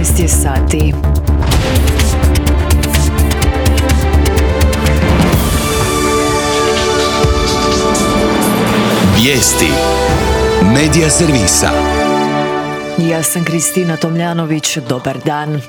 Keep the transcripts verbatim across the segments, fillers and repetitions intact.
jedanaest je sati. Vijesti Medija servisa. Ja sam Kristina Tomljanović, dobar dan.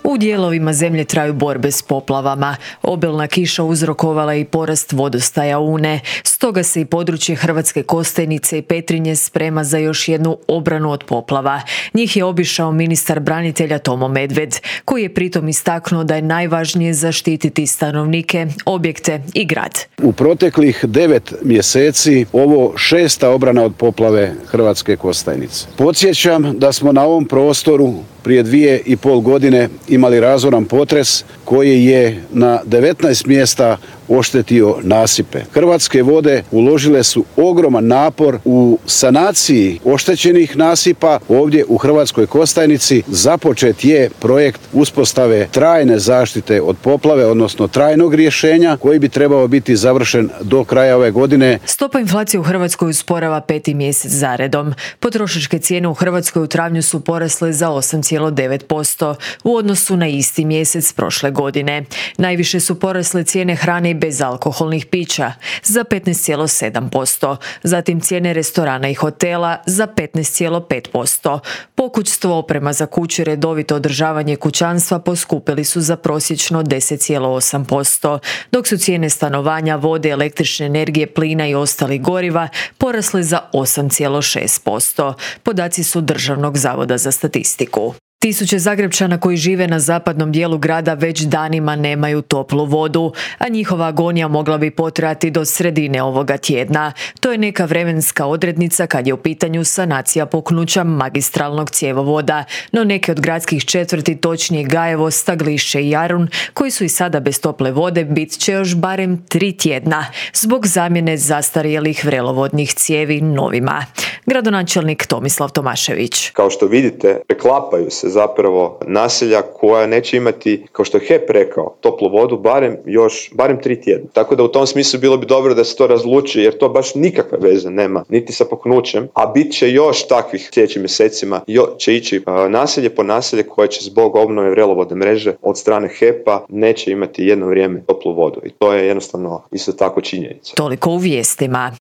U dijelovima zemlje traju borbe s poplavama. Obilna kiša uzrokovala i porast vodostaja Une. Stoga se i područje Hrvatske Kostajnice i Petrinje sprema za još jednu obranu od poplava. Njih je obišao ministar branitelja Tomo Medved, koji je pritom istaknuo da je najvažnije zaštititi stanovnike, objekte i grad. U proteklih devet mjeseci ovo šesta obrana od poplave Hrvatske Kostajnice. Podsjećam da smo na ovom prostoru prije dvije i pol godine imali razoran potres koji je na devetnaest mjesta oštetio nasipe. Hrvatske vode uložile su ogroman napor u sanaciji oštećenih nasipa. Ovdje u Hrvatskoj Kostajnici započet je projekt uspostave trajne zaštite od poplave, odnosno trajnog rješenja koji bi trebao biti završen do kraja ove godine. Stopa inflacije u Hrvatskoj usporava peti mjesec zaredom. Potrošačke cijene u Hrvatskoj u travnju su porasle za osam zarez devet posto u odnosu na isti mjesec prošle godine. Najviše su porasle cijene hrane i bezalkoholnih pića za petnaest zarez sedam posto, zatim cijene restorana i hotela za petnaest zarez pet posto. Pokućstvo, oprema za kuće, redovito održavanje kućanstva poskupili su za prosječno deset zarez osam posto, dok su cijene stanovanja, vode, električne energije, plina i ostalih goriva porasle za osam zarez šest posto. Podaci su Državnog zavoda za statistiku. Tisuće Zagrepčana koji žive na zapadnom dijelu grada već danima nemaju toplu vodu, a njihova agonija mogla bi potrajati do sredine ovoga tjedna. To je neka vremenska odrednica kad je u pitanju sanacija puknuća magistralnog cjevovoda, no neke od gradskih četvrti, točnije Gajevo, Staglišće i Jarun, koji su i sada bez tople vode, bit će još barem tri tjedna zbog zamjene zastarjelih vrelovodnih cijevi novima. Gradonačelnik Tomislav Tomašević. Kao što vidite, preklapaju se zapravo naselja koja neće imati, kao što je H E P rekao, toplu vodu barem još, barem tri tjedna. Tako da u tom smislu bilo bi dobro da se to razluči, jer to baš nikakve veze nema, niti sa puknućem, a bit će još takvih sljedećim mjesecima, jo, će ići uh, naselje po naselje koje će zbog obnove vrelovodne mreže od strane H E P-a neće imati jedno vrijeme toplu vodu. I to je jednostavno isto tako činjenica. Toliko u vijestima.